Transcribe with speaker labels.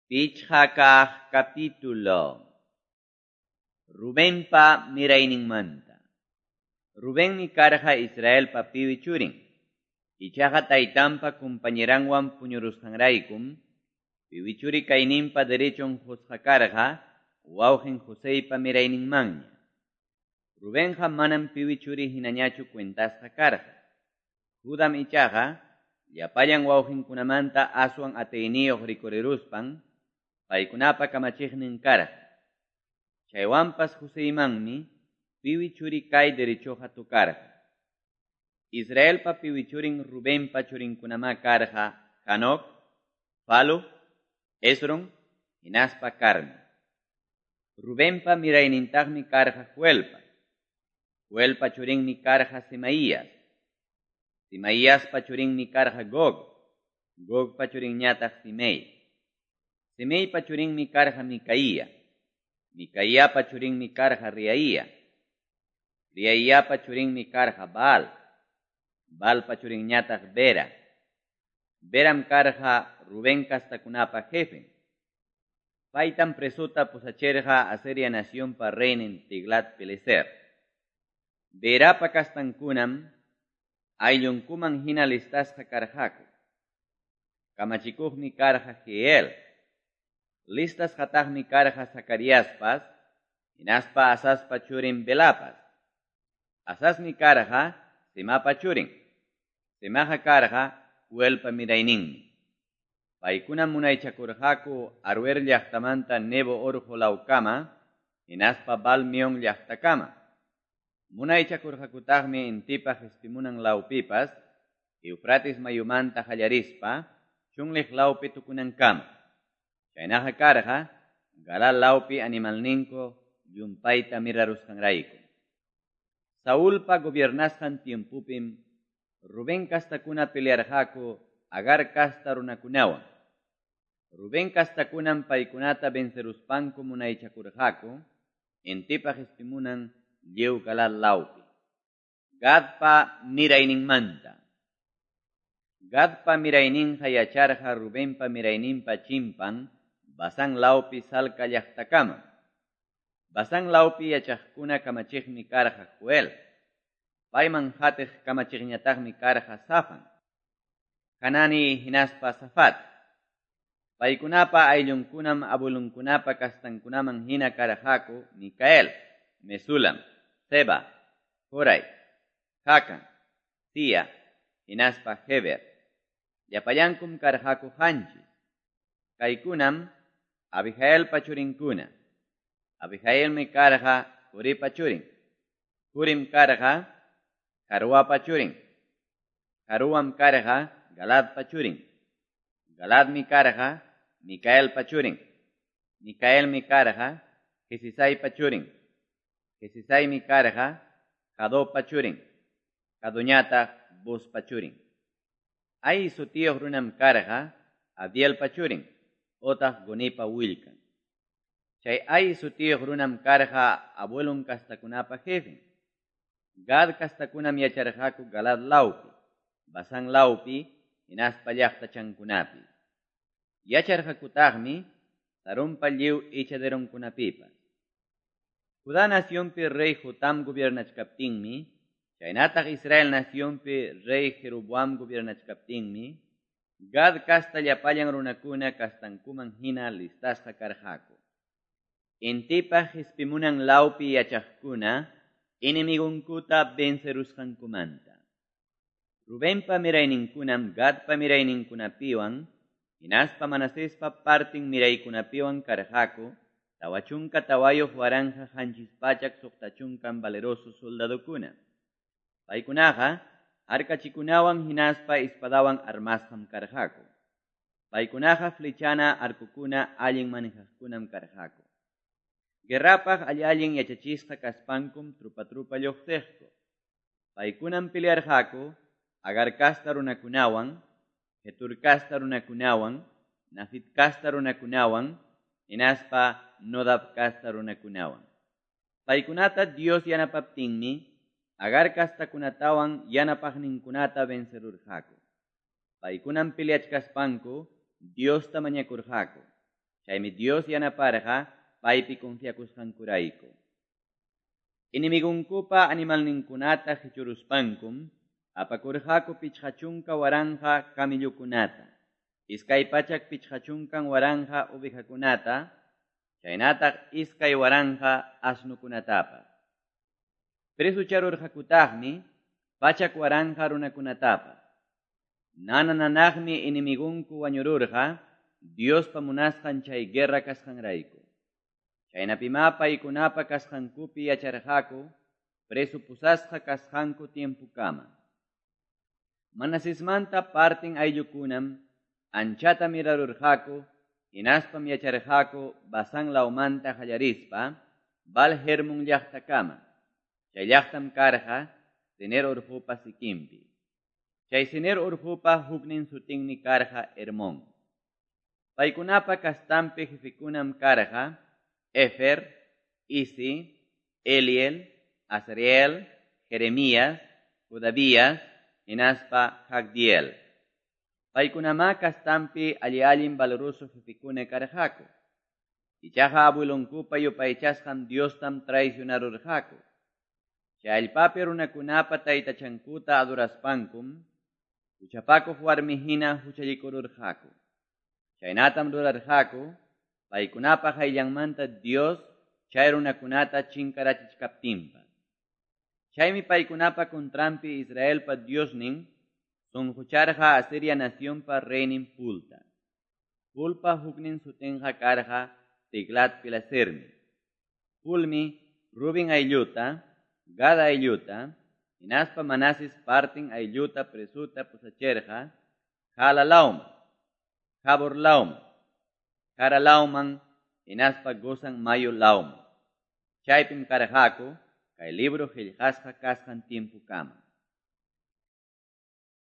Speaker 1: Pichqa kaq capítulo. Rubenpa mirayninmanta. Rubenmi karqa Israelpa piwi churin. Ichaqa taytanpa compañeranwan puñurusqanraykum, piwi churi kayninpa derechon qusqa karqa, wawqin Joseypa mirayninmanña. Rubenqa manam piwi churi hinañachu cuentasqa karqa. Judam ichaqa, llapallan wawqinkunamanta aswan atiyniyuq rikuriruspan, paykunapa kamachiqnin karqa. Chaywanpas Joseymanmi piwi churi kay derechoqa tukarqa. Israelpa piwi churin Rubenpa churinkunamá karqa Hanok, Falu, Esron, hinaspa Carmi. Rubenpa miraynintaqmi karqa Joelpa. Joelpa churinmi karqa Semaías. Semaíaspa churinmi karqa Gog. Gogpa churinñataq Simei. Simeipa churinmi karqa Micaía. Micaíapa churinmi karqa Riaía. Riaíapa churinmi karqa Baal. Baalpa churinñataq Bera. Beram karqa Rubén kastakunapa jefen. Paytam presota pusachirqa Asiria nacionpa reynin Tiglat-Pileser. Berapa kastankunam ayllunkuman hina listasqa karqaku. Kamachikuqmi karqa Jeiel. Listasqataqmi karqa Zacariaspas, hinaspa Asaspa churin Belapas. Asasmi karqa Semapa churin. Semaqa karqa Joelpa mirayninmi. Paykunam munaychakurqaku Aroer llaqtamanta Nebo orqo lawkama, hinaspa Baal-meón llaqtakama. Munaychakurqakutaqmi intipa qispimunan lawpipas, Eufrates mayumanta qallarispa, chunliq lawpi tukunankama. Chaynaqa karqa, Galaad lawpi animalninku llumpayta mirarusqanrayku. Saulpa gobiernasqan tiempopim Rubén kastakuna pelearqaku Agar kasta runakunawan. Rubén kastakunam paykunata venceruspanku munaychakurqaku, intipa qispimunan lliw Galaad lawpi. Gadpa mirayninmanta. Gadpa mirayninqa yacharqa Rubenpa mirayninpa chimpan Basán lawpi Salca llaqtakama. Basán lawpi yachaqkuna kamachiqmi karqa Joel. Payman qatiq kamachiqñataqmi karqa Safan, Hanani hinaspa Safat. Paykunapa ayllunkunam abuelunkunapa kastankunaman hina karqaku Micael, Mesulam, Seba, Jorai, Jacan, Sia, hinaspa Heber. Llapallankum karqaku qanchis. Kaykunam Abihailpa churinkuna. Abihailmi karqa Huripa churin. Hurim karqa Jaroapa churin. Jaroam karqa Galaadpa churin. Galaadmi karqa Micaelpa churin. Micaelmi karqa Jesisaipa churin. Jesisaimi karqa Jadopa churin. Jadoñataq Buzpa churin. Ahi sutiyuq runam karqa Abdielpa churin, otaq Gunipa willkan. Chay Ahi sutiyuq runam karqa abuelon kastakunapa jefen. Gad kastakunam yacharqaku Galaad lawpi, Basán lawpi, hinaspa llaqtachankunapi. Yacharqakutaqmi Sarunpa lliw echaderonkunapipas. Judá nacionpi rey Jotam gobiernachkaptinmi, chaynataq Israel nacionpi rey Jeroboam gobiernachkaptinmi, Gad kasta llapallan runakuna kastankuman hina listasqa karqaku. Intipa qispimunan lawpi yachaqkuna enemigonkuta vencerusqankumanta. Rubenpa mirayninkunam Gadpa mirayninkunapiwan, hinaspa Manasespa partin miraykunapiwan karqaku, 44,760 valeroso soldadokuna. Paykunaqa arkachikunawan hinaspa espadawan armasqam karqaku. Paykunaqa flechana arcokuna allin manejaqkunam karqaku. Guerrapaq alli-allin yachachisqa kaspankum trupa-trupa lluqsiqku. Paykunam pelearqaku Agar kasta runakunawan, Jetur kasta runakunawan, Nafit kasta runakunawan, hinaspa Nodab kasta runakunawan. Paykunata Dios yanapaptinmi, Agar kastakunatawan yanapaqninkunata vencerurqaku. Paykunam peleachkaspanku Diosta mañakurqaku. Chaymi Dios yanaparqa paypi confiakusqankurayku. Enemigonkupa animalninkunata qichuruspankum apakurqaku 50,000 camellokunata, 250,000 ovejakunata, chaynataq 2,000 asnukunatapas. Presucharurqakutaqmi 100,000 runakunatapas. Nana-nanaqmi enemigonku wañururqa Diospa munasqan chay guerra kasqanrayku. Chaynapimá paykunapa kasqankupi yacharqaku preso pusasqa kasqanku tiempukama. Manasesmanta partin ayllukunam anchata mirarurqaku, hinaspam yacharqaku Basán lawmanta qallarispa Baal Hermon llaqtakama. Chay llaqtam karqa Senir urqupa sikinpi. Chay Senir urqupa huknin sutinmi karqa Hermón. Paykunapa kastampi jefekunam karqa Efer, Isi, Eliel, Azriel, Jeremías, Jodavías, hinaspa Jagdiel. Paykunamá kastampi alli-allin valoroso jefekuna karqaku. Ichaqa abuelonkupa yupaychasqan Diostam traicionarurqaku. Chay allpapi runakunapa taytachankuta adoraspankum, huchapakuq warmi hina huchallikururqaku. Chaynatam rurarqaku, paykunapa qayllanmanta Dios chay runakunata chinkarachichkaptinpas. Chaymi paykunapa contranpi Israelpa Diosnin sunqucharqa Asiria nacionpa reynin Pulta. Pulpa huknin sutinqa karqa Tiglat-Pilesermi. Pulmi Rubin aylluta, Gad aylluta, hinaspa Manases partin aylluta presuta pusacherqa Hala lawman, Habor lawman, Hara lawman, hinaspa Gozan mayu lawman. Chaypim karqaku kay libro qillqasqa kasqan tiempukama.